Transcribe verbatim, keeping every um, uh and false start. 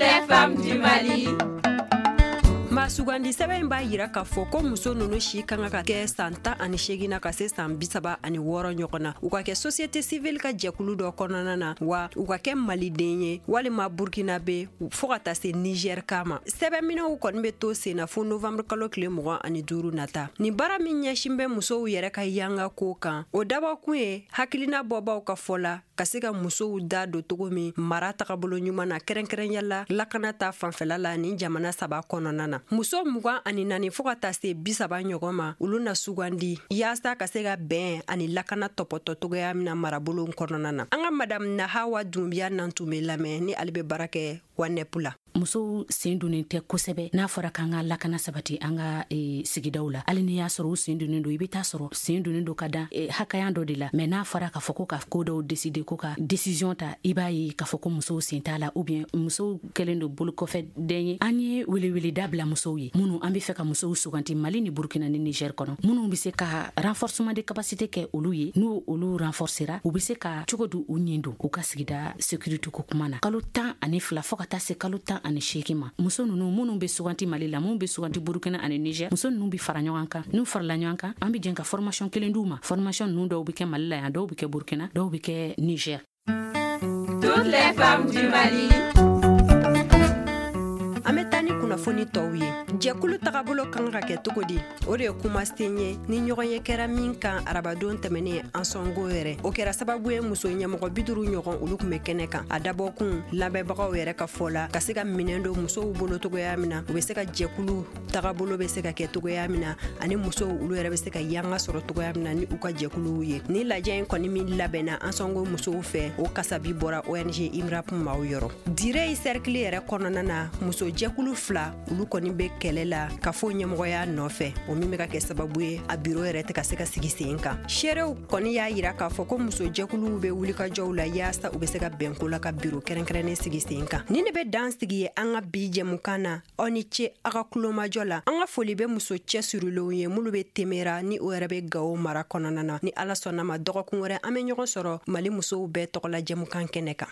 Les femmes du Mali. Maa sugandi sɛbɛn in b'a yira k'a fɔ ko muso ninnu si kan ka kɛ san tan ani seegin na ka se san bi saba ani wɔɔrɔ ɲɔgɔn na, u ka kɛ société civile ka jɛkulu dɔ kɔnɔna na, wa u ka kɛ maliden ye walima burkinabe fɔɔ ka taa se Niger kama. Sɛbɛnminɛw kɔni bɛ to sen na fo novembre kalo tile mugan ani duuru nata. Nin baara min ɲɛsin bɛ musow yɛrɛ ka yanga ko kan, o dabɔkun ye hakilina bɔbaw ka fɔ la ka se ka musow da don cogo min mara tagabolo ɲuman na, kɛrɛnkɛrɛnya la lakana ta fanfɛla la nin jamana saba kɔnɔna na. Muso mugan ani naani fɔɔ ka taa se bi saba ɲɔgɔn ma, olu na sugandi yaasa ka se ka bɛn ani lakana tɔpɔtɔ togoya min na marabolo kɔnɔna na. An ka Madame Nahawa Dunbiya nan tun bɛ lamɛn ni ale bɛ baara kɛ WANEP la. Musow sen donnen tɛ kosɛbɛ n'a fɔra k'an ka lakana sabati an ka e, sigidaw la. Hali n'i y'a sɔrɔ u sen donnen don, i bɛ taa sɔrɔ sen donnen don ka dan e, hakɛya dɔ de la. Mais n'a fɔra k'a fɔ ko ka ko dɔw décider, ko ka décision ta, i b'a ye k'a fɔ ko musow sen t'a la, ou bien musow kɛlen don bolokɔfɛ den ye. An ye weleweleda bila musow ye minnu an bɛ fɛ ka musow suganti Mali ni Burukina ni Niger kɔnɔ, minnu bɛ se ka renforcement de capacité kɛ olu ye. N'u olu renforcera, u bɛ se ka cogo di u ɲin don u ka sigida sécurité ko kuma na. Kalo tan ani fila fɔɔ ka taa se kalo tan ani seegin ma, muso ninnu minnu bɛ suganti Mali la, minnu bɛ suganti Burukina ani Niger, muso ninnu bɛ fara ɲɔgɔn kan. N'u farala ɲɔgɔn kan, an bɛ jɛn ka formation kelen d'u ma. Formation ninnu dɔw bɛ kɛ Mali la yan, dɔw bɛ kɛ Burukina, dɔw bɛ kɛ Niger. Toutes les femmes du Mali. An bɛ taa ni kunnafoni tɔw ye. Jɛkulu tagabolo kan ka kɛ cogo di? O de ye kumasen ye ni ɲɔgɔn ye kɛra min kan arabadon tɛmɛnen Ansɔngo yɛrɛ. O kɛra sababu ye muso ɲɛmɔgɔ bi duuru ɲɔgɔn, olu tun bɛ kɛnɛ kan. A dabɔkun, lamɛnbagaw yɛrɛ ka fɔ la, ka se ka minɛn don musow bolo togoya min na u bɛ se ka jɛkulu tagabolo bɛ se ka kɛ togoya min na, ani musow olu yɛrɛ bɛ se ka yanga sɔrɔ togoya min na ni u ka jɛkuluw ye. Ni lajɛ in kɔni min labɛnna Ansɔngo musow fɛ, o kasabi bɔra O N G IMRAP maaw yɔrɔ. Dire cercle yɛrɛ kɔnɔna na, muso jɛkulu fila, olu kɔni bɛ kɛlɛ la ka fɔ ɲɛmɔgɔya nɔfɛ, o min bɛ ka kɛ sababu ye a biro yɛrɛ tɛ ka se ka sigi sen kan. Seerew kɔni y'a yira k'a fɔ ko muso jɛkuluw bɛ wulikajɔw la yaasa u bɛ se ka bɛnko la ka biro kɛrɛnkɛrɛnnen sigi sen kan. Ni ne bɛ dan sigi ye an ka bi jɛmukan na. Aw ni ce aw ka kulomajɔ la. An ka foli bɛ muso cɛsirilenw ye minnu bɛ Temera ni o yɛrɛ bɛ Gawo mara kɔnɔna na. Ni Ala sɔnna ma, dɔgɔkun wɛrɛ an bɛ ɲɔgɔn sɔrɔ Mali musow bɛɛ tɔgɔla jɛmukan kɛnɛ kan.